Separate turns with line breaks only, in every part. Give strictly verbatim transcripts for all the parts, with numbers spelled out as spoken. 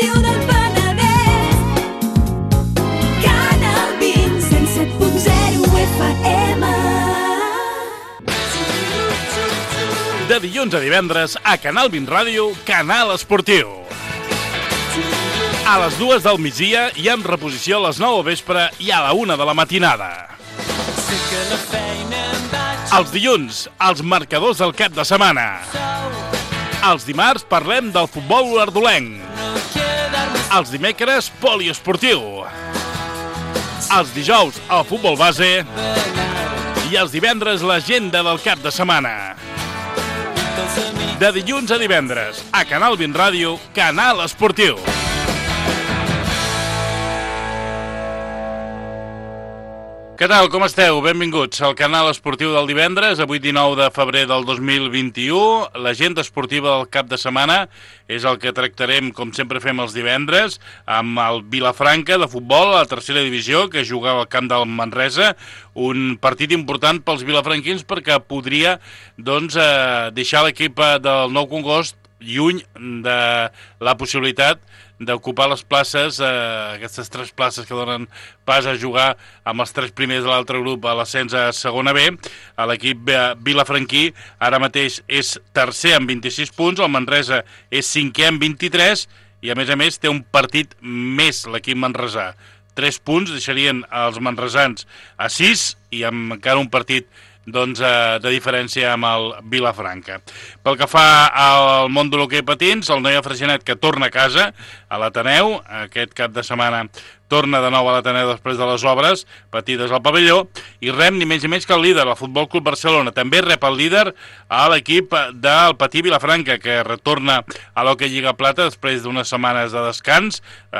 Ràdio del Penedès. Canal vint, cent set punt zero F M.
De dilluns a divendres, a Canal vint Ràdio, Canal Esportiu. A les dues del migdia i amb reposició a les nou al vespre i a la una de la matinada. Els dilluns, els marcadors del cap de setmana. Els dimarts parlem del futbol olordolenc. Els dimecres, poliesportiu. Els dijous, el futbol base. I els divendres, l'agenda del cap de setmana. De dilluns a divendres, a Canal vint Ràdio, Canal Esportiu. Què tal, com esteu? Benvinguts al Canal Esportiu del divendres, avui dinou de febrer del dos mil vint-i-u. L'agenda esportiva del cap de setmana és el que tractarem, com sempre fem els divendres, amb el Vilafranca de futbol, a la tercera divisió, que jugava al camp del Manresa. Un partit important pels vilafranquins perquè podria doncs, eh, deixar l'equip del Nou Congost lluny de la possibilitat d'ocupar les places, eh, aquestes tres places que donen pas a jugar amb els tres primers de l'altre grup a l'ascens a segona B. L'equip vilafranquí ara mateix és tercer amb vint-i-sis punts, el Manresa és cinquè amb vint-i-tres i a més a més té un partit més l'equip manresà. Tres punts deixarien els manresans a sis i amb encara un partit doncs, eh, de diferència amb el Vilafranca. Pel que fa al món de l'hoquei patins, el Noia Freixenet que torna a casa, a l'Ateneu, aquest cap de setmana torna de nou a l'Ateneu després de les obres patides al pavelló, i rep ni menys ni menys que el líder, el Futbol Club Barcelona. També rep el líder a l'equip del Patí Vilafranca, que retorna a l'Hockey Lliga Plata després d'unes setmanes de descans, eh,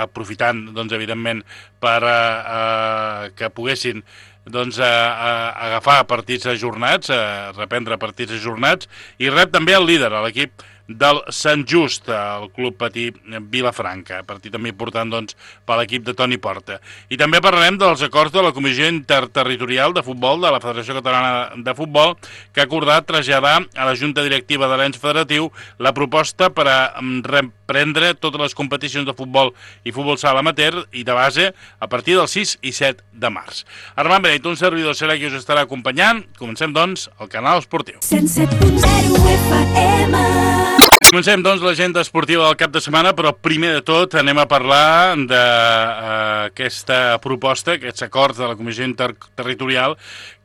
aprofitant, doncs, evidentment, per eh, eh, que poguessin doncs, a, a agafar partits ajornats, a reprendre partits ajornats, i rep també el líder, l'equip del Sant Just, el Club Patí Vilafranca, partit també important doncs, per l'equip de Toni Porta. I també parlarem dels acords de la Comissió Interterritorial de Futbol de la Federació Catalana de Futbol, que ha acordat traslladar a la Junta Directiva de l'ens federatiu la proposta per a reprendre totes les competicions de futbol i futbol sala amateur i de base a partir del sis i set de març. Armand Beneit, un servidor serà qui us estarà acompanyant. Comencem, doncs, el Canal Esportiu.
cent set punt zero F M.
Comencem, doncs, l'agenda esportiva del cap de setmana, però primer de tot anem a parlar d'aquesta uh, proposta, aquests acords de la Comissió Interterritorial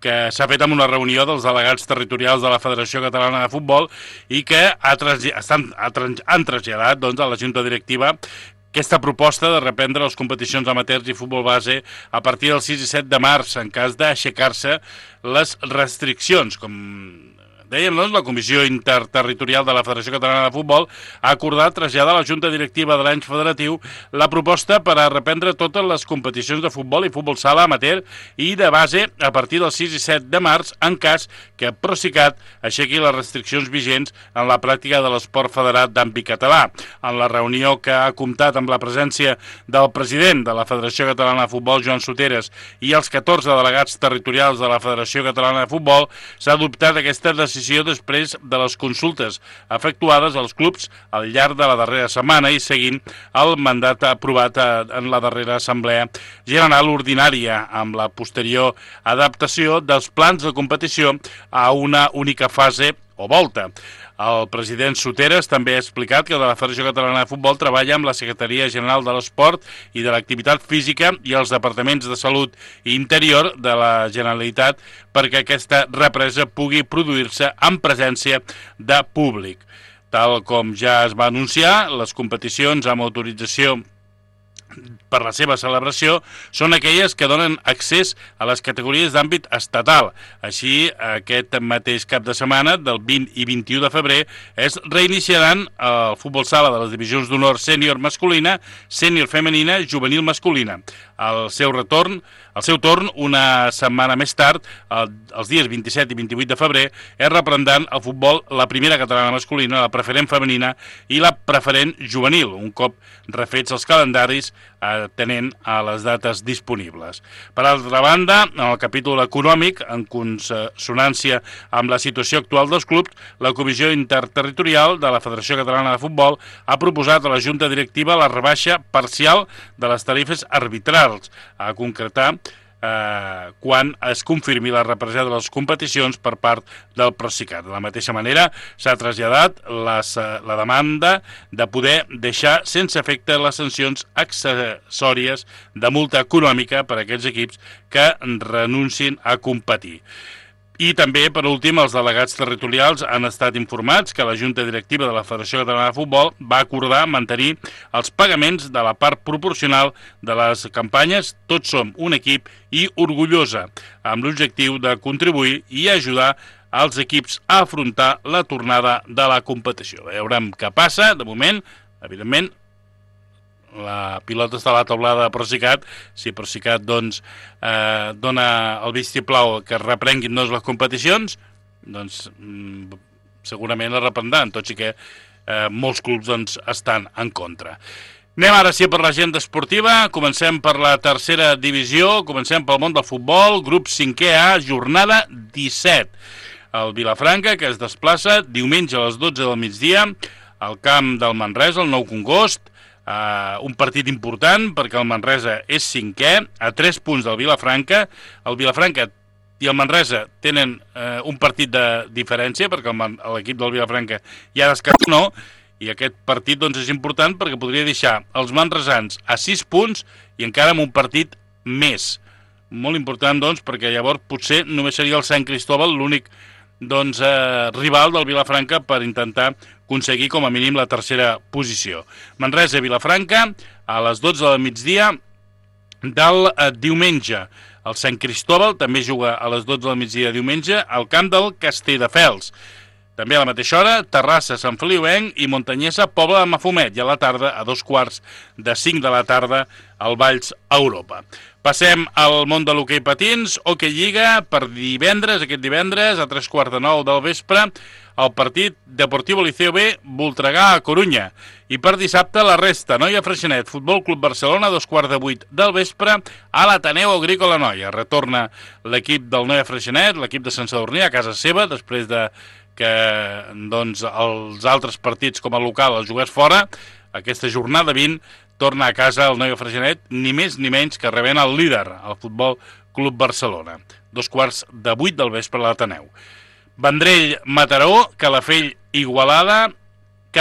que s'ha fet amb una reunió dels delegats territorials de la Federació Catalana de Futbol i que ha trasll- estan, ha trans- han traslladat doncs, a la Junta Directiva aquesta proposta de reprendre les competicions amateurs i futbol base a partir del sis i set de març, en cas d'aixecar-se les restriccions. Com dèiem, doncs, la Comissió Interterritorial de la Federació Catalana de Futbol ha acordat traslladar a la Junta Directiva de l'ens federatiu la proposta per a reprendre totes les competicions de futbol i futbol sala amateur i de base a partir del sis i set de març, en cas que Procicat aixequi les restriccions vigents en la pràctica de l'esport federat d'àmbit català. En la reunió que ha comptat amb la presència del president de la Federació Catalana de Futbol, Joan Soteres, i els catorze delegats territorials de la Federació Catalana de Futbol, s'ha adoptat aquesta decisió després de les consultes efectuades als clubs al llarg de la darrera setmana i seguint el mandat aprovat en la darrera Assemblea General Ordinària amb la posterior adaptació dels plans de competició a una única fase o volta. El president Soteres també ha explicat que la Federació Catalana de Futbol treballa amb la Secretaria General de l'Esport i de l'Activitat Física i els departaments de Salut i Interior de la Generalitat perquè aquesta represa pugui produir-se en presència de públic. Tal com ja es va anunciar, les competicions amb autorització per la seva celebració són aquelles que donen accés a les categories d'àmbit estatal. Així, aquest mateix cap de setmana, del vint i vint-i-u de febrer, es reiniciaran el futbol sala de les divisions d'honor sènior masculina, sènior femenina, juvenil masculina. El seu retorn, el seu torn, una setmana més tard, el, els dies vint-i-set i vint-i-vuit de febrer, es reprendran el futbol la primera catalana masculina, la preferent femenina i la preferent juvenil. Un cop refets els calendaris, atenent a les dates disponibles. Per altra banda, en el capítol econòmic, en consonància amb la situació actual dels clubs, la Comissió Interterritorial de la Federació Catalana de Futbol ha proposat a la Junta Directiva la rebaixa parcial de les tarifes arbitrals, a concretar Eh, quan es confirmi la repressió de les competicions per part del Procicat. De la mateixa manera, s'ha traslladat les, la demanda de poder deixar sense efecte les sancions accessòries de multa econòmica per a aquells equips que renuncin a competir. I també, per últim, els delegats territorials han estat informats que la Junta Directiva de la Federació Catalana de Futbol va acordar mantenir els pagaments de la part proporcional de les campanyes Tots som un equip i Orgullosa, amb l'objectiu de contribuir i ajudar als equips a afrontar la tornada de la competició. Veurem què passa. De moment, evidentment, la pilota està a la taulada de Procicat. Si Procicat doncs, eh, dona el vistiplau que es reprenguin doncs, les competicions, doncs mm, segurament la reprendran, tot i que eh, molts clubs doncs, estan en contra. Anem ara sí per l'agenda esportiva. Comencem per la tercera divisió, comencem pel món del futbol, grup cinquè A, jornada disset. El Vilafranca, que es desplaça diumenge a les dotze del migdia al camp del Manresa, el Nou Congost. Uh, un partit important perquè el Manresa és cinquè, a tres punts del Vilafranca. El Vilafranca i el Manresa tenen uh, un partit de diferència perquè l'equip del Vilafranca ja descansó, i aquest partit doncs, és important perquè podria deixar els manresans a sis punts i encara amb un partit més. Molt important doncs, perquè llavors potser només seria el Sant Cristóbal l'únic doncs, eh, rival del Vilafranca per intentar aconseguir com a mínim la tercera posició. Manresa-Vilafranca a les dotze del migdia del eh, diumenge. El Sant Cristóbal també juga a les dotze del migdia diumenge al camp del Castelldefels. També a la mateixa hora, Terrassa, Sant Feliuenc i Montanyesa, Pobla de Mafumet, i a la tarda, a dos quarts de cinc de la tarda, al Valls Europa. Passem al món de l'hoquei patins, Hockey Lliga, per divendres, aquest divendres, a tres quarts de nou del vespre, el partit Deportivo Liceo B, Voltregà a Corunya. I per dissabte la resta, Noia Freixenet, Futbol Club Barcelona, a dos quarts de vuit del vespre, a l'Ateneu Agrícola Noia. Retorna l'equip del Noia Freixenet, l'equip de Sant Sadurní, a casa seva, després de que doncs, els altres partits com a local els jugués fora. Aquesta jornada vint torna a casa el Noia Freixenet, ni més ni menys que rebent el líder, el Futbol Club Barcelona. Dos quarts de vuit del vespre a l'Ateneu. Vendrell, Mataró, Calafell, Igualada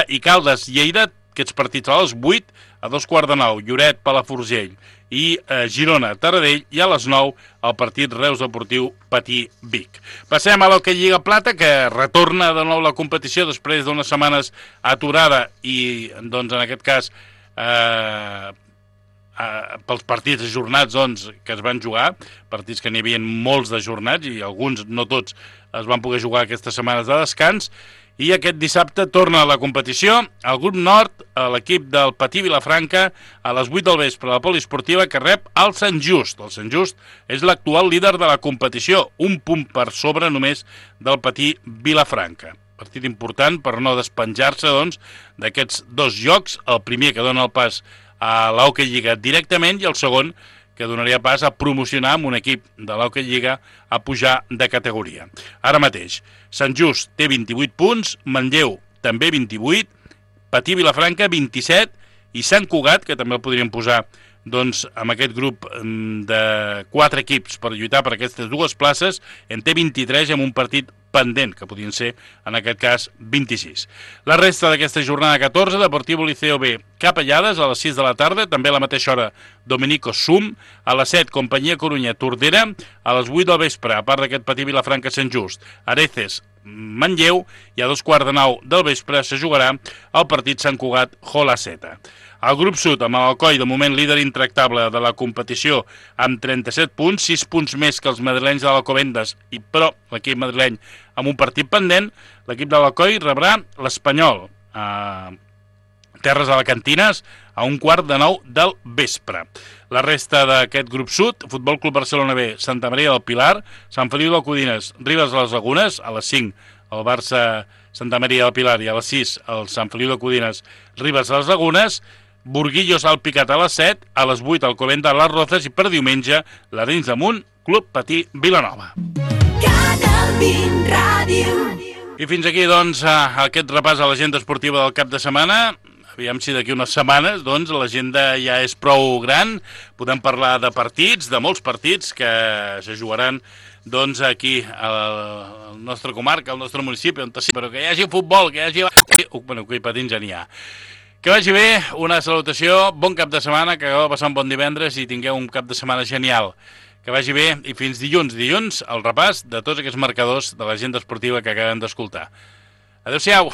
i Caldes, Lleida, aquests partits a les vuit, a dos quarts de nou, Lloret, Palafrugell i eh, Girona, Taradell, i a les nou el partit Reus Deportiu Patí Vic. Passem a l'Hockey Lliga Plata, que retorna de nou la competició després d'unes setmanes aturada i, doncs, en aquest cas, eh, eh, pels partits ajornats doncs, que es van jugar, partits que n'hi havia molts d'ajornats i alguns, no tots, es van poder jugar aquestes setmanes de descans. I aquest dissabte torna a la competició el grup nord, l'equip del Patí Vilafranca, a les vuit del vespre a la poliesportiva, que rep el Sant Just. El Sant Just és l'actual líder de la competició, un punt per sobre només del Patí Vilafranca. Partit important per no despenjar-se doncs, d'aquests dos jocs, el primer que dona el pas a l'Hockey Lliga directament i el segon que donaria pas a promocionar amb un equip de l'Hockey Lliga a pujar de categoria. Ara mateix, Sant Just té vint-i-vuit punts, Manlleu també vint-i-vuit, Patí Vilafranca vint-i-set i Sant Cugat, que també el podríem posar doncs, amb aquest grup de quatre equips per lluitar per aquestes dues places, en té vint-i-tres amb un partit pendent, que podien ser, en aquest cas, vint-i-sis. La resta d'aquesta jornada catorze, Deportivo Liceo B, Capellades, a les sis de la tarda, també a la mateixa hora, Dominico Sum, a les set, Companyia Corunya, Tordera, a les vuit del vespre, a part d'aquest Patí Vilafranca Sant Just, Areces, Manlleu, i a dos quarts de nou del vespre se jugarà el partit Sant Cugat Jolaceta. El grup sud, amb l'Alcoi, de moment líder intractable de la competició, amb trenta-set punts, sis punts més que els madrilenys de l'Alcobendas, i però l'equip madrileny amb un partit pendent, l'equip de l'Alcoi rebrà l'Espanyol a Terres Alacantines a un quart de nou del vespre. La resta d'aquest grup sud, Futbol Club Barcelona B, Santa Maria del Pilar, Sant Feliu de Codines, Ribes de les Lagunes, a les cinc el Barça Santa Maria del Pilar i a les sis el Sant Feliu de Codines, Ribes de les Lagunes, Burguillos al Picat a les set, a les vuit al Colenda a les Rozes i per diumenge l'Arenys de Munt, Club Patí Vilanova.
Canal vint Ràdio.
I fins aquí, doncs, aquest repàs a l'agenda esportiva del cap de setmana. Aviam si d'aquí unes setmanes, doncs, l'agenda ja és prou gran. Podem parlar de partits, de molts partits que se jugaran, doncs, aquí al nostre comarca, al nostre municipi, on sí, però que hi hagi futbol, que hi hagi... Uh, bueno, que hi patins ja n'hi ha. Que vagi bé, una salutació, bon cap de setmana, que acabeu de passar un bon divendres i tingueu un cap de setmana genial. Que vagi bé i fins dilluns, dilluns, el repàs de tots aquests marcadors de l'agenda esportiva que acabem d'escoltar. Adéu-siau!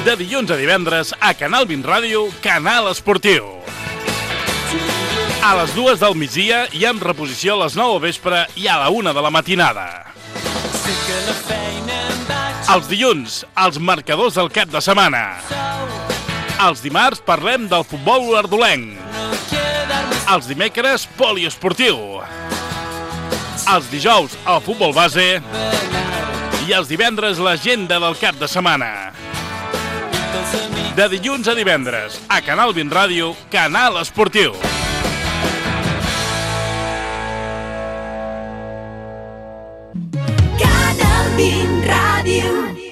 De dilluns a divendres, a Canal vint Ràdio, Canal Esportiu. A les dues del migdia i amb reposició a les nou al vespre i a la una de la matinada. Els dilluns, els marcadors del cap de setmana. Els dimarts parlem del futbol ardolenc. Els dimecres, poliesportiu. Els dijous, el futbol base. I els divendres, l'agenda del cap de setmana. De dilluns a divendres, a Canal vint Ràdio, Canal Esportiu.
Canal vint Ràdio.